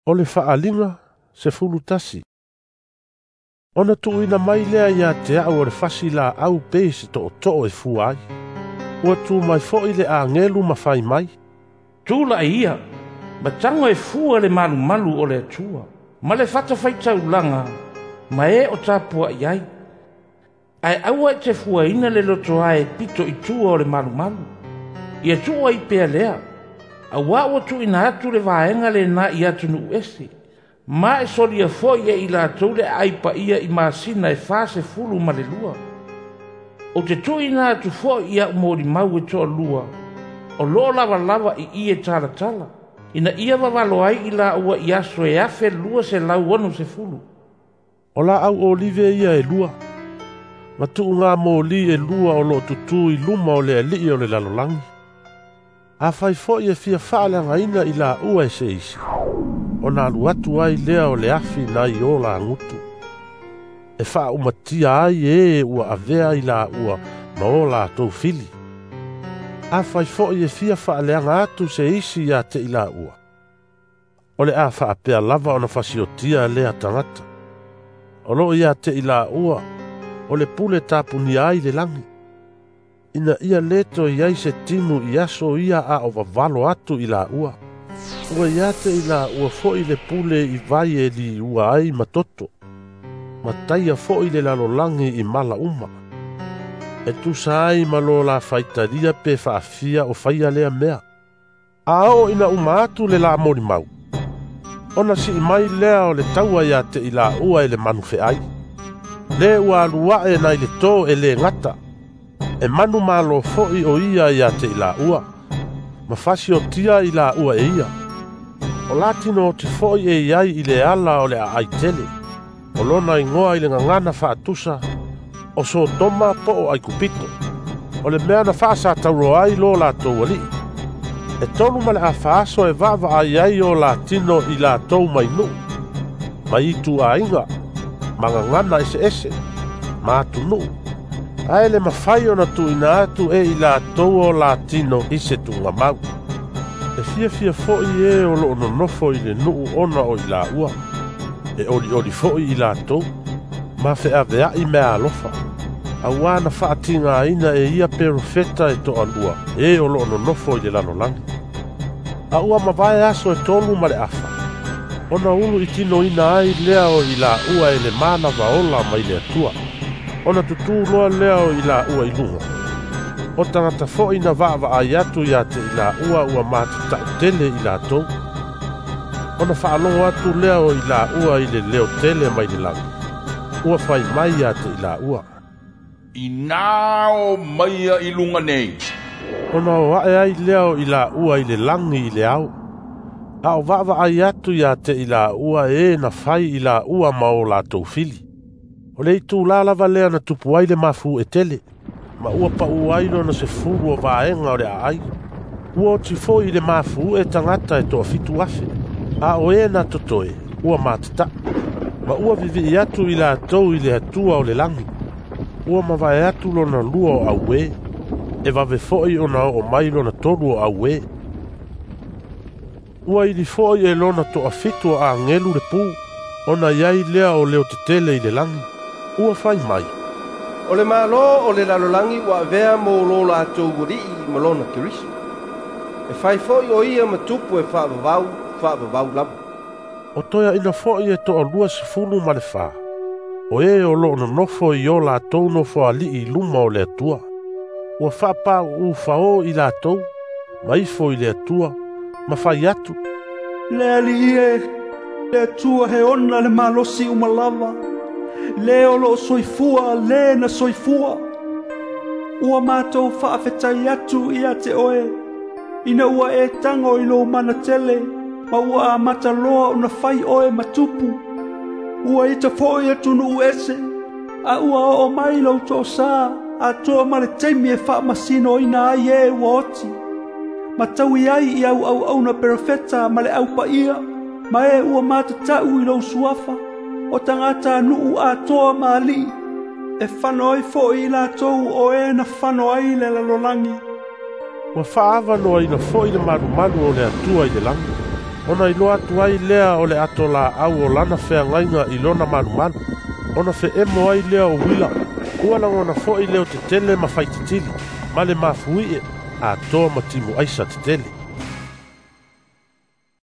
O le Faaaliga 11. Ona tuuina mai lea ia te au o le fasi laau pei se tootoo e fua ai. Ua tu mai foi le agelu ma fai mai, Tula'i ia, ma tago e fua le malumalu o le Atua, ma le fatafaitaulaga, ma e o tapua'i ai. Ae aua e te fuaina le lotoae pito i tua o le malumalu. Ia tuu ai pea lea, auā ua tuuina atu le vaega lenā i atunuu ese, ma e solia foi e i latou le aai paia i masina e 42. Ou te tuuina atu foi i a'u molimau e toalua, o loo lavalava i i e talatala, ina ia vavalo ai i laua i aso e 1260. O laau olive ia e lua, ma tuuga moli e lua o loo tutū i luma o le alii o le lalolagi. Afai foi e fia faaleagaina i laua e se isi, ona alu atu ai lea o le afi nai o lagutu, e faaumatia ai e ua avea i laua ma o latou fili. Afai foi e fia faaleaga atu se isi ia te i laua, o le a faapea lava ona fasiotia lea tagata. O loo ia te i laua o le pule tapunia ai le lagi, ina ia le toe i ai se timu i aso ia a o vavalo atu i laua. Ua ia te i laua foi le pule i vai e liua ai ma toto, ma taia foi le lalolagi i mala uma. E tusa ai ma lo la faitalia pe faafia o faia lea mea. A oo ina uma atu le la molimau, ona sii mai lea o le taua ia te i laua e le manufeai. Le ua alu ae nai le tō e le gata, e manu malo foi o ia ia te i laua, ma fasiotia i laua e ia. O latino o te foi e iai i le ala o le aai tele, o lona igoa i le gagana faatusa, o Sotoma po o Aikupito, o le mea na faasataulo ai lo latou alii. E 3 ma le afa aso e vaavaai ai o latino i latou mai nuu, mai itu aiga, ma gagana eseese, ma atunuu, ae le mafai ona tuuina atu e i latou o latino i se tuugamau. E fiafia foi e o loo nonofo i le nuu ona o i laua, e olioli foi i latou, ma feaveai mea alofa, auā na faatigaina e ia perofeta e toalua e o loo nonofo i le lalolagi. A ua mavae aso e 3 ma le afa, ona ulu i tinoina ai lea o i laua e le manava ola mai le Atua. Ona tutū loa lea o i laua i luga. O tagata foi na vaavaai atu ia te i laua ua matatau tele i latou. Ona faalogo atu lea o i laua i le leo tele mai le lagi, ua fai mai ia te i laua, Inā o maia i luga nei. Ona o ae ai lea o i laua i le lagi i le ao, a o vaavaai atu ia te i laua e na fai i laua ma o latou fili. O le itulā lava lea na tupu ai le mafu'e tele, ma ua pa'u ai lona 10 o vaega o le aai. Ua oti foi i le mafu'e tagata e 7,000, a o e na totoe ua matataʻu, ma ua vivi'i atu i latou i le Atua o le lagi. Ua mavae atu lona lua o auē, e vave foi ona oo mai lona tolu o auē. Ua ili foi e lona 7 o agelu le pū, ona i ai lea o leo tetele i le lagi. Ua fai mai, O le Malo o le lalolagi ua avea mo lo latou alii ma lona Keriso. E fai foi o ia ma tupu e faavavau, faavavau lava. O toeaina foi e 24, o e o loo nonofo i o latou nofoalii i luma o le Atua, ua faapau'u i latou, ma ifo i le Atua, ma fai atu, Le Alii e, le Atua he ona le malosi uma lava, le o loo soifua le na soifua. Ua matou faafetai atu ia te oe, ina ua e tago i lou mana tele, ma ua amata loa ona fai oe ma tupu. Ua ita foi atunuu ese, a ua oo mai lou toosā, atoa ma le taimi e faamasinoina ai e ua oti. Ma taui ai i au auauna perofeta ma le aupaia, ma e ua matatau i lou suafa, o tagata nuu atoa ma alii, e fano ai foi i latou o e na fano ai le lalolagi. Ua faaavanoaina foi le malumalu o le Atua i le lagi. Ona iloa atu ai lea o le atolaau o lana feagaiga i lona malumalu, ona feemo ai lea o uila. Ua lagona foi leo tetele ma faititili, ma le mafuie, atoa ma timu aisa tetele.